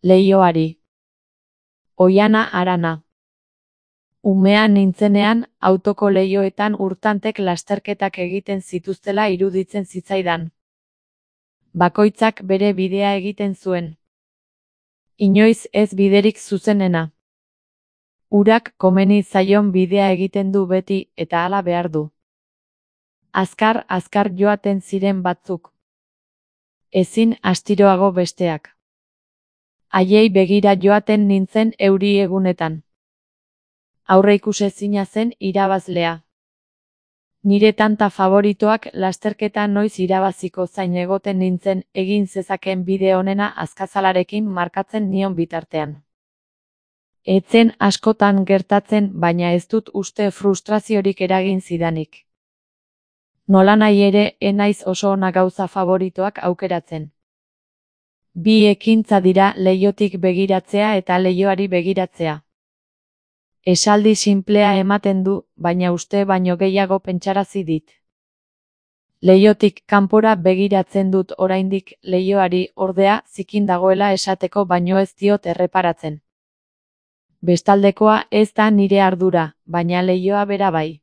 Leioari. Oiana Arana. Umea nintzenean, autoko leihoetan urtantek lasterketak egiten zituztela iruditzen zitzaidan. Bakoitzak bere bidea egiten zuen. Inoiz ez biderik zuzenena. Urak komeni zaion bidea egiten du beti eta hala behar du. Azkar joaten ziren batzuk. Ezin astiroago besteak. Haiei begira joaten nintzen euri egunetan. Aurreikusezina zen irabazlea. Nire tanta favoritoak lasterketa noiz irabaziko zain egoten nintzen egin zezaken bide onena azkazalarekin markatzen nion bitartean. Etzen askotan gertatzen baina ez dut uste frustraziorik eragin zidanik. Nolanahi ere enaiz oso ona gauza favoritoak aukeratzen. Bi ekintza dira leihotik begiratzea eta leihoari begiratzea. Esaldi sinplea ematen du, baina uste baino gehiago pentsarazi dit. Leihotik kanpora begiratzen dut oraindik, leihoari ordea zikin dagoela esateko baino ez diot erreparatzen. Bestaldekoa ez da nire ardura, baina leihoa bera bai.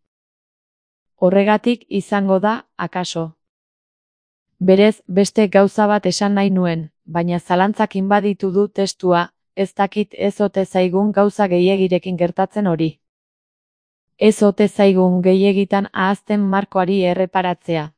Horregatik izango da, akaso. Berez, beste gauza bat esan nahi nuen, baina zalantzak inbaditu du testua, ez dakit ez ote zaigun gauza gehiegirekin gertatzen hori. Ez ote zaigun gehiegitan ahazten markoari erreparatzea.